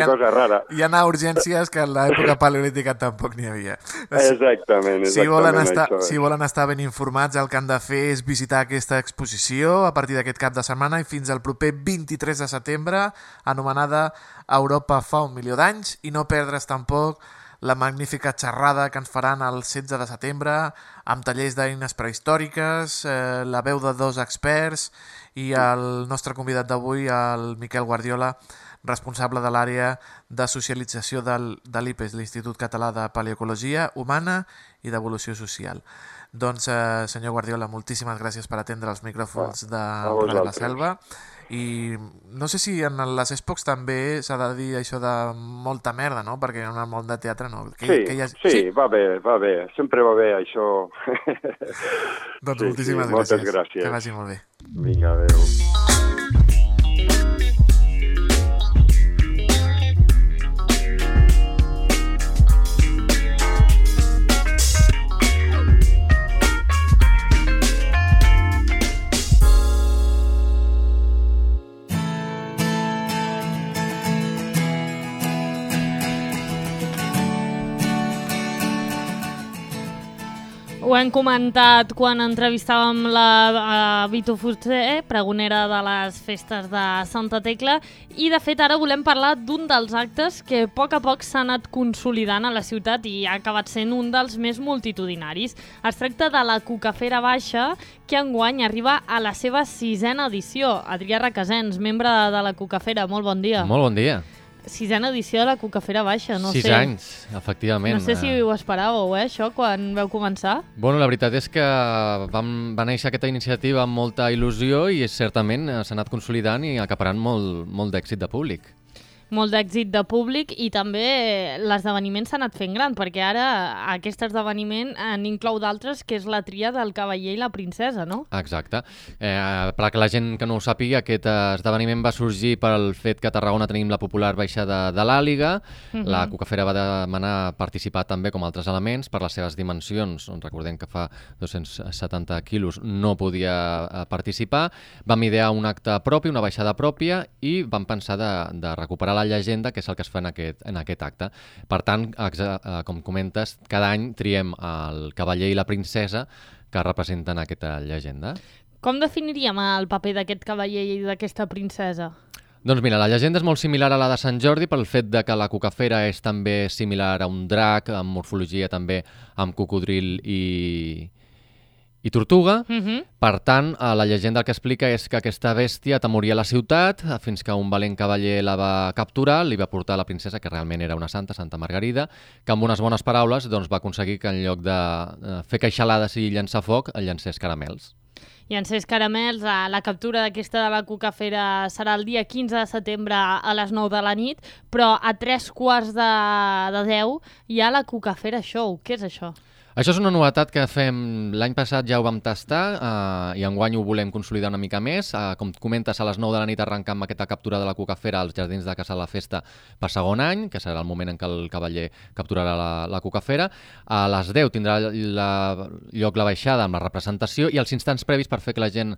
cosa rara. Hi ha urgències que en l'època paleolítica tampoc n'hi havia. Exactament. Si volen estar ben informats, el que han de fer és visitar aquesta exposició a partir d'aquest cap de setmana i fins al proper 23 de setembre, anomenada Europa fa 1 milió d'anys, i no perdre's tampoc la magnífica xerrada que ens faran el 16 de setembre amb tallers d'eines prehistòriques, la veu de 2 experts i el nostre convidat d'avui, el Miquel Guardiola, responsable de l'àrea de socialització de l'IPES, l'Institut Català de Paleoecologia Humana i d'Evolució Social. Doncs, senyor Guardiola, moltíssimes gràcies per atendre els micròfons de Radio La Selva. I no sé si en les Expocs també s'ha de dir això de molta merda, no? Perquè en el món de teatre no. Sí, va bé. Sempre va bé, això. Doncs moltíssimes gràcies. Moltes gràcies. Que vagi molt bé. Vinga, adéu. Ho hem comentat quan entrevistàvem la Vito Fuster, pregonera de les festes de Santa Tecla, i de fet ara volem parlar d'un dels actes que a poc s'ha anat consolidant a la ciutat i ha acabat sent un dels més multitudinaris. Es tracta de la Cucafera Baixa, que enguany arriba a la seva 6ª edició. Adrià Requesens, membre de la Cucafera, molt bon dia. Molt bon dia. 6ª edició de la Cucafera Baixa, no sé. 6 anys, efectivament. No sé si ho esperàveu, això, quan vau començar. Bueno, la veritat és que va néixer aquesta iniciativa amb molta il·lusió i certament s'ha anat consolidant i acaparant molt d'èxit de públic. Molt d'èxit de públic i també l'esdeveniment s'ha anat fent gran, perquè ara aquest esdeveniment n'inclou d'altres, que és la tria del cavaller i la princesa, no? Exacte. Per que la gent que no ho sàpiga, aquest esdeveniment va sorgir pel fet que a Tarragona tenim la popular baixada de l'Àliga. La Cucafera va demanar participar també com altres elements per les seves dimensions. Recordem que fa 270 quilos no podia participar. Vam idear un acte propi, una baixada pròpia, i vam pensar de recuperar la llegenda, que és el que es fa en aquest acte. Per tant, com comentes, cada any triem el cavaller i la princesa que representen aquesta llegenda. Com definiríem el paper d'aquest cavaller i d'aquesta princesa? Doncs mira, la llegenda és molt similar a la de Sant Jordi pel fet de que la Cucafera és també similar a un drac, amb morfologia també amb cocodril i tortuga. Per tant, la llegenda el que explica és que aquesta bèstia atemoria la ciutat fins que un valent cavaller la va capturar, li va portar a la princesa, que realment era una santa, Santa Margarida, que amb unes bones paraules va aconseguir que en lloc de fer queixalades i llançar foc, llancés caramels. Llancés caramels. La captura d'aquesta de la Cucafera serà el dia 15 de setembre a les 9 de la nit, però a 9:45 hi ha la Cucafera Show. Què és això? Això és una novetat que fem l'any passat, ja ho vam tastar i enguany ho volem consolidar una mica més. Com comentes, a les 9 de la nit arrencar amb aquesta captura de la Cucafera als jardins de Casa de la Festa per segon any, que serà el moment en què el cavaller capturarà la Cucafera. A les 10 tindrà lloc la baixada amb la representació i els instants previs per fer que la gent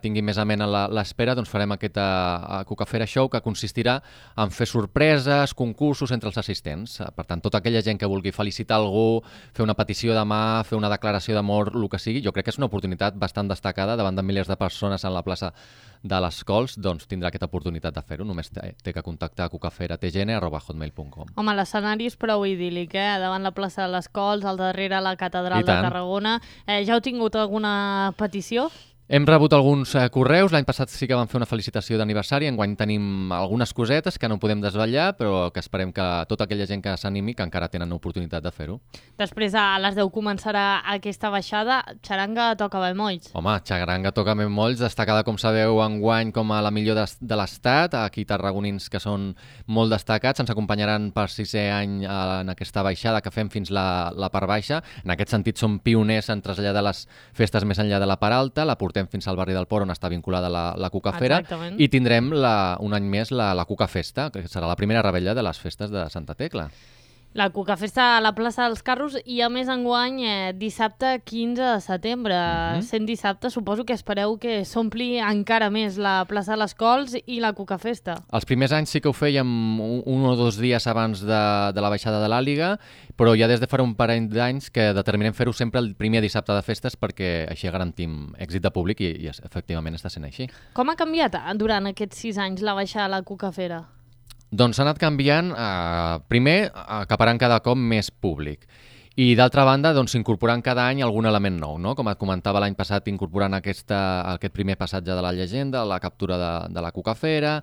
tingui més amena l'espera, doncs farem aquesta Cucafera Show que consistirà en fer sorpreses, concursos entre els assistents. Per tant, tota aquella gent que vulgui felicitar algú, fer una petició de mà, fer una declaració d'amor, el que sigui, jo crec que és una oportunitat bastant destacada davant de milers de persones en la plaça de les Cols, doncs tindrà aquesta oportunitat de fer-ho. Només té que contactar a cucaferatgn@hotmail.com. Home, l'escenari és prou idíl·lic, davant la plaça de les Cols, al darrere la catedral de Tarragona. Ja heu tingut alguna petició? Hem rebut alguns correus, l'any passat sí que vam fer una felicitació d'aniversari, enguany tenim algunes cosetes que no podem desvetllar, però que esperem que tota aquella gent que s'animi, que encara tenen oportunitat de fer-ho. Després a les 10 començarà aquesta baixada. Xaranga toca bemolls. Home, xaranga toca bemolls, destacada, com sabeu, enguany com a la millor de l'Estat. Aquí tarragonins que són molt destacats, ens acompanyaran per 6è any en aquesta baixada que fem fins la part baixa. En aquest sentit som pioners en traslladar les festes més enllà de la part alta, la portem fins al barri del Port, on està vinculada la Cucafera. Exactament. I tindrem un any més la Cucafesta, que serà la primera rebella de les festes de Santa Tecla. La Cucafesta a la plaça dels Carros i, a més, enguany, dissabte 15 de setembre. Sent dissabte, suposo que espereu que s'ompli encara més la plaça de les Cols i la Cucafesta. Els primers anys sí que ho fèiem un o dos dies abans de la baixada de l'Àliga, però ja des de fa un parell d'anys que determinem fer-ho sempre el primer dissabte de festes perquè així garantim èxit de públic i efectivament està sent així. Com ha canviat durant aquests 6 anys la baixada a la Cucafera? Doncs s'ha anat canviant, primer, acaparant cada cop més públic. I d'altra banda, doncs, incorporant cada any algun element nou, no? Com et comentava l'any passat, incorporant aquest primer passatge de la llegenda, la captura de la Cucafera,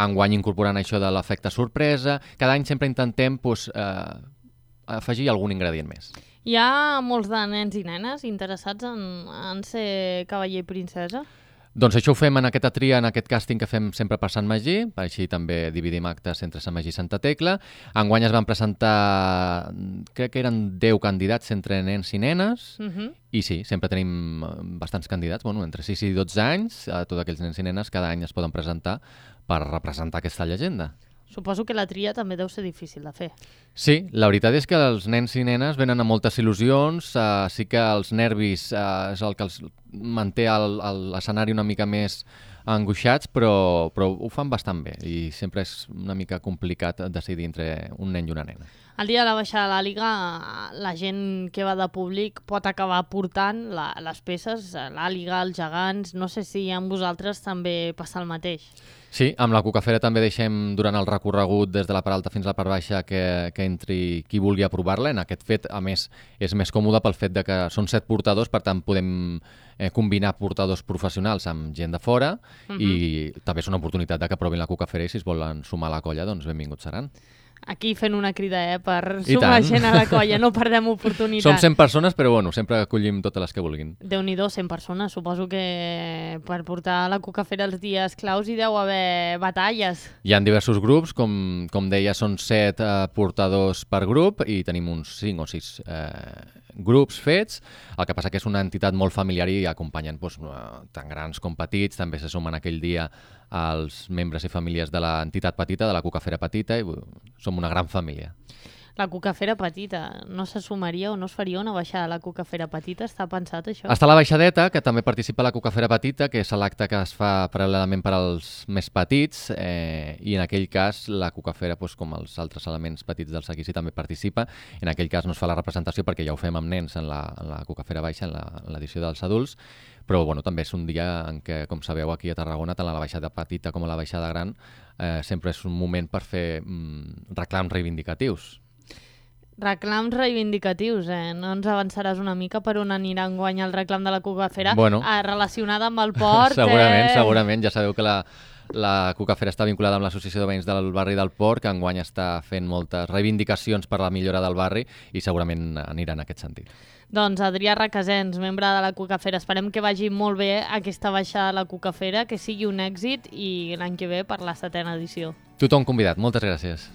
enguany incorporant això de l'efecte sorpresa. Cada any sempre intentem afegir algun ingredient més. Hi ha molts de nens i nenes interessats en ser cavaller i princesa? Doncs això ho fem en aquesta tria, en aquest càsting que fem sempre per Sant Magí, així també dividim actes entre Sant Magí i Santa Tecla. Enguany es van presentar, crec que eren 10 candidats entre nens i nenes, i sí, sempre tenim bastants candidats, entre 6 i 12 anys, tots aquells nens i nenes cada any es poden presentar per representar aquesta llegenda. Suposo que la tria també deu ser difícil de fer. Sí, la veritat és que els nens i nenes venen amb moltes il·lusions, sí que els nervis és el que els manté l'escenari una mica més angoixats, però ho fan bastant bé i sempre és una mica complicat decidir entre un nen i una nena. El dia de la baixada de l'Àliga, la gent que va de públic pot acabar portant les peces, l'Àliga, els gegants. No sé si amb vosaltres també passa el mateix. Sí, amb la Cucafera també deixem durant el recorregut des de la part alta fins a la part baixa que entri qui vulgui a provar-la. En aquest fet, a més, és més còmode pel fet de que són 7 portadors, per tant podem combinar portadors professionals amb gent de fora i també és una oportunitat de que provin la Cucafera i si es volen sumar a la colla, doncs benvinguts seran. Aquí fent una crida, per sumar gent a la colla, no perdem oportunitat. Som 100 persones, però sempre acollim totes les que vulguin. Déu-n'hi-do, 100 persones. Suposo que per portar la Cucafera els dies claus hi deu haver batalles. Hi ha diversos grups, com deia, són 7 portadors per grup i tenim uns 5 o 6 grups fets. El que passa que és una entitat molt familiar i acompanyen tant grans com petits. També se sumen aquell dia els membres i famílies de l'entitat petita, de la Cucafera petita, i som una gran família. La Cucafera petita, no se sumaria o no es faria una baixada a la Cucafera petita? Està pensat això? Està la baixadeta, que també participa a la Cucafera petita, que és l'acte que es fa paral·lelament per als més petits, i en aquell cas la Cucafera, com els altres elements petits del seguici, també participa. En aquell cas no es fa la representació perquè ja ho fem amb nens en la Cucafera baixa, en l'edició dels adults, però també és un dia en què, com sabeu, aquí a Tarragona, tant la baixada petita com la baixada gran, sempre és un moment per fer reclams reivindicatius. Reclams reivindicatius, no ens avançaràs una mica per on anirà enguany el reclam de la Cucafera relacionada amb el port? Segurament. Ja sabeu que la Cucafera està vinculada amb l'Associació de Veïns del Barri del Port, que enguany està fent moltes reivindicacions per la millora del barri i segurament anirà en aquest sentit. Doncs Adrià Requesens, membre de la Cucafera. Esperem que vagi molt bé aquesta baixada de la Cucafera, que sigui un èxit i l'any que ve per la 7ª edició. Tothom convidat. Moltes gràcies.